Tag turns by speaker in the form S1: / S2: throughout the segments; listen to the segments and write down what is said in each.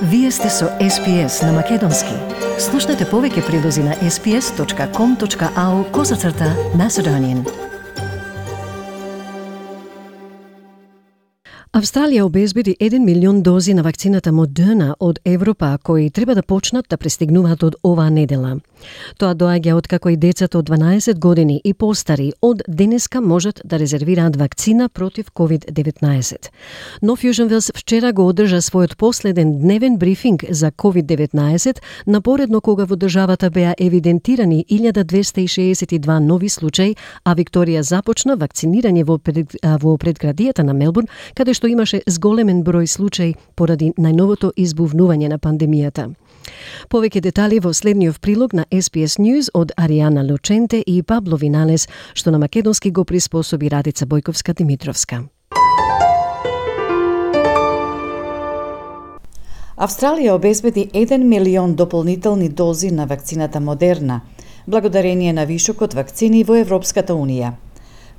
S1: Вие сте со SPS на Македонски. Слушнете повеќе прилози на sps.com.au/Macedonian. Австралија обезбеди 1 милион дози на вакцината Модерна од Европа, кои треба да почнат да пристигнуваат од оваа недела. Тоа доаѓа откако и децата од 12 години и постари од денеска можат да резервираат вакцина против COVID-19. Но Fusion Wells вчера го одржа својот последен дневен брифинг за COVID-19, напоредно кога во државата беа евидентирани 1262 нови случаи, а Викторија започна вакцинирање во предградијата на Мелбурн, каде што имаше зголемен број случаи поради најновото избувнување на пандемијата. Повеќе детали во следниот прилог на SPS News од Аријана Лученте и Пабло Виналес, што на македонски го приспособи Радица Бојковска-Димитровска.
S2: Австралија обезбеди 1 милион дополнителни дози на вакцината Модерна, благодарение на вишокот вакцини во Европската Унија.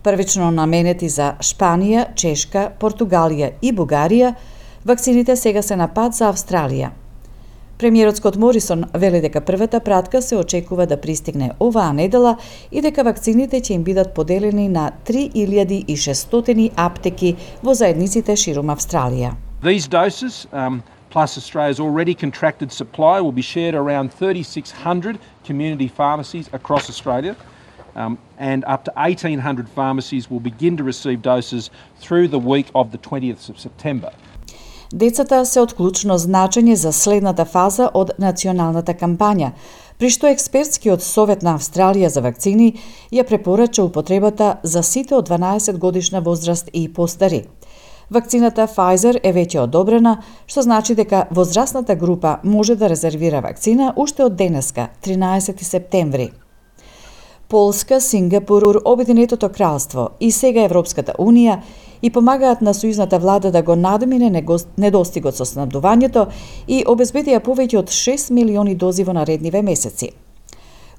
S2: Првично наменети за Шпанија, Чешка, Португалија и Бугарија, вакцините сега се на пат за Австралија. Премиерот Скот Морисон вели дека првата пратка се очекува да пристигне оваа недела и дека вакцините ќе им бидат поделени на 3600 аптеки во заедниците ширум Австралија.
S3: These doses, plus Australia's already contracted supply, will be shared around 3,600 community pharmacies across Australia. And up to 1,800 pharmacies will begin to receive doses through the week of the 20th of September.
S2: Децата се од клучно значење за следната фаза од националната кампања, при што експертскиот совет на Австралија за вакцини ја препорача употребата за сите од 12 годишна возраст и постари. Вакцината Pfizer е веќе одобрена, што значи дека возрастната група може да резервира вакцина уште од денеска, 13 септември. Полска, Сингапур, Обединетото кралство и сега Европската Унија и помагаат на сојузната влада да го надмине недостигот со снабдувањето и обезбедија повеќе од 6 милиони дози во наредниве месеци.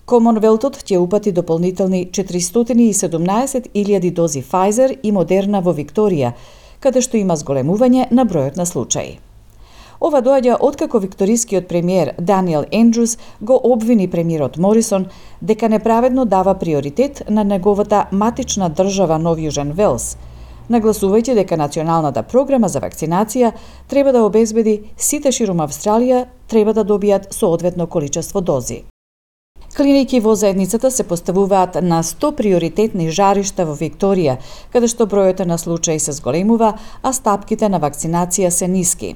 S2: Комонвелтот ќе упати дополнителни 417.000 дози Pfizer и Модерна во Викторија, каде што има зголемување на бројот на случаи. Ова доаѓа откако викторискиот премиер Даниел Ендрюс го обвини премиерот Морисон дека неправедно дава приоритет на неговата матична држава Нов Јужен Велс, нагласувајќи дека националната програма за вакцинација треба да обезбеди сите ширум Австралија треба да добијат соодветно количество дози. Клиники во заедницата се поставуваат на 100 приоритетни жаришта во Викторија, каде што бројот на случаи се зголемува, а стапките на вакцинација се ниски.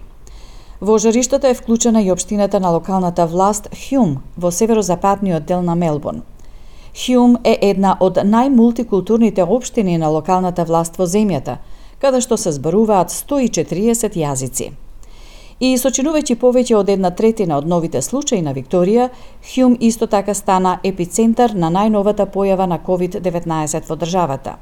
S2: Во жариштата е вклучена и општината на локалната власт Хјум во северозападниот дел на Мелбурн. Хјум е една од најмултикултурните општини на локалната власт во земјата, каде што се зборуваат 140 јазици. И сочинувајќи повеќе од 1/3 од новите случаи на Викторија, Хјум исто така стана епицентар на најновата појава на COVID-19 во државата.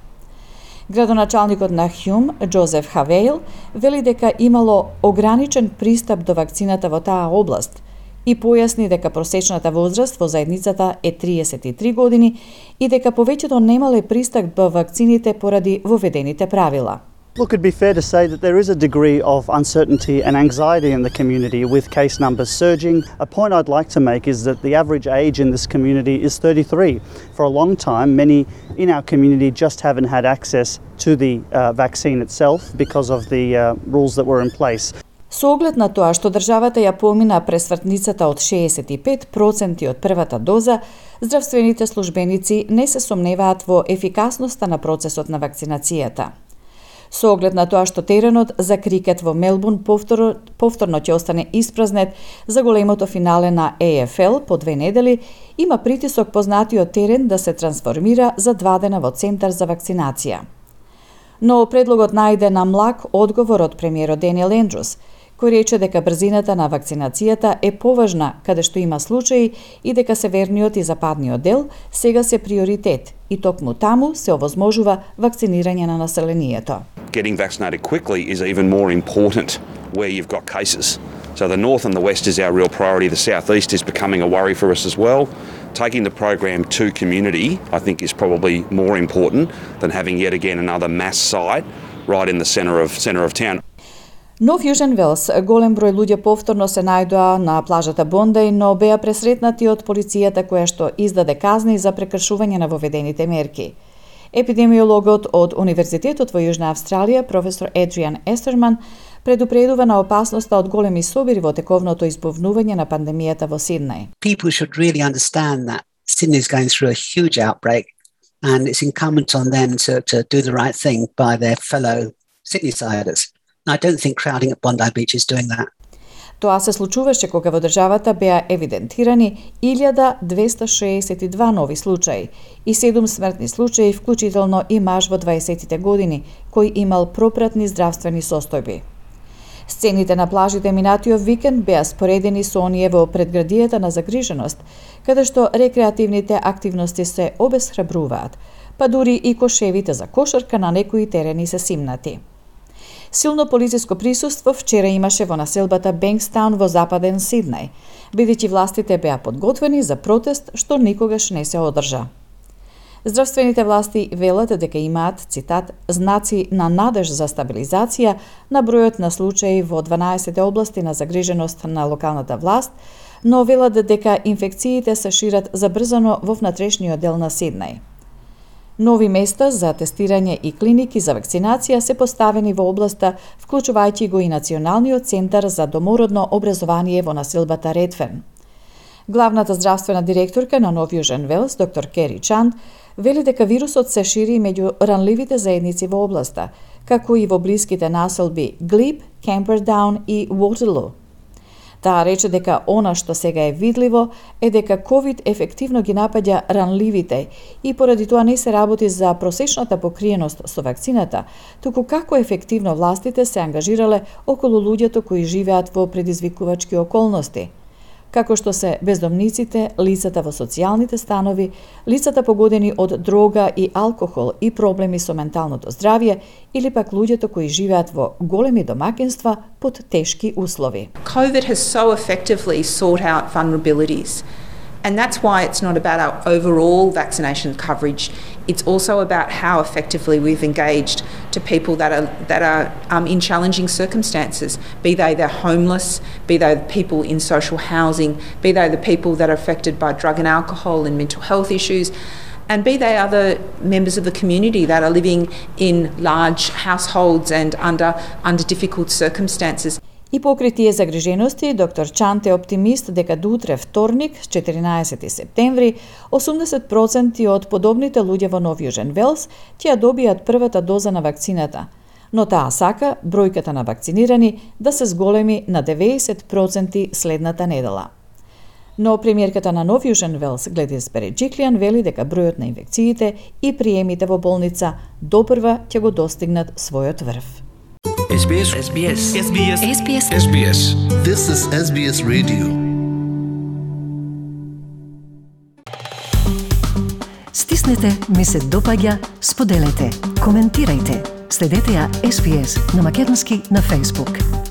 S2: Градоначалникот на Хјум, Джозеф Хавейл, вели дека имало ограничен пристап до вакцината во таа област и појасни дека просечната возраст во заедницата е 33 години и дека повеќето немале пристап до вакцините поради воведените правила.
S4: Look, it'd be fair to say that there is a degree of uncertainty and anxiety in the community with case numbers surging. A point I'd like to make is that the average age in this community is 33. For a long time, many in our community just haven't had access to the vaccine itself because of the rules that were in place.
S2: Со оглед на тоа што државата ја помина пресвртницата од 65% од првата доза, здравствените службеници не се сомневаат во ефикасноста на процесот на вакцинацијата. Со оглед на тоа што теренот за крикет во Мелбурн повторно ќе остане испразнет за големото финале на AFL по 2 недели, има притисок познатиот терен да се трансформира за 2 дена во центар за вакцинација. Но предлогот најде на млак одговор од премиерот Даниел Ендрюс, кој рече дека брзината на вакцинацијата е поважна каде што има случаи и дека северниот и западниот дел сега се приоритет и токму таму се овозможува вакцинирање на населението.
S5: Getting vaccinated quickly is even more important where you've got cases. So the north and the west is our real priority. The southeast is becoming a worry for us as well. Taking the program to community, I think, is probably more important than having yet again another mass site right in the centre of town.
S2: Нов Јужен Велс, голем број луѓе повторно се најдоа на плажата Бондај, но беа пресретнати од полицијата која што издаде казни за прекршување на воведените мерки. Епидемиологот од Универзитетот во Јужна Австралија, професор Адриан Естерман, предупредува на опасноста од големи собири во тековното избувнување на пандемијата во Сиднеј.
S6: People should really understand that Sydney is going through a huge outbreak and it's incumbent on them to do the right thing by their fellow Sydneysiders. I don't think crowding at Bondi Beach is doing that.
S2: Тоа се случуваше кога во државата беа евидентирани 1262 нови случаи и 7 смртни случаи, вклучително и маж во 20-тите години, кој имал пропратни здравствени состојби. Сцените на плажите минатиот викенд беа споредени со оние во предградијата на загриженост, каде што рекреативните активности се обесхрабруваат, па дури и кошевите за кошарка на некои терени се симнати. Силно полициско присуство вчера имаше во населбата Бенкстаун во западен Сиднеј, бидејќи властите беа подготвени за протест што никогаш не се одржа. Здравствените власти велат дека имаат, цитат, знаци на надеж за стабилизација на бројот на случаи во 12 области на загриженост на локалната власт, но велат дека инфекциите се шират забрзано во внатрешниот дел на Сиднеј. Нови места за тестирање и клиники за вакцинација се поставени во областа, вклучувајќи го и Националниот центар за домородно образование во населбата Редферн. Главната здравствена директорка на Нов Јужен Велс, доктор Кери Чанд, вели дека вирусот се шири меѓу ранливите заедници во областа, како и во блиските населби Глип, Кемпердаун и Waterloo. Таа рече дека она што сега е видливо е дека COVID ефективно ги напаѓа ранливите и поради тоа не се работи за просечната покриеност со вакцината, туку како ефективно властите се ангажирале околу луѓето кои живеат во предизвикувачки околности, како што се бездомниците, лицата во социјалните станови, лицата погодени од дрога и алкохол и проблеми со менталното здравје или пак луѓето кои живеат во големи домакинства под тешки услови.
S7: COVID has so effectively sought out vulnerabilities. And that's why it's not about our overall vaccination coverage. It's also about how effectively we've engaged to people that are in challenging circumstances, be they're homeless, be they the people in social housing, be they the people that are affected by drug and alcohol and mental health issues, and be they other members of the community that are living in large households and under difficult circumstances.
S2: И покри тие загрижености, доктор Чант е оптимист дека до утре вторник, 14 септември, 80% од подобните луѓе во Нов Јужен Велс ќе добијат првата доза на вакцината, но таа сака бројката на вакцинирани да се зголеми на 90% следната недела. Но премиерката на Нов Јужен Велс, Гледис Береджиклијан, вели дека бројот на инфекциите и приемите во болница допрва ќе го достигнат својот врв.
S8: SBS.
S9: This is SBS Radio.
S1: Стиснете, ми се допаѓа, споделете, коментирајте. Следете ја SBS на македонски на Facebook.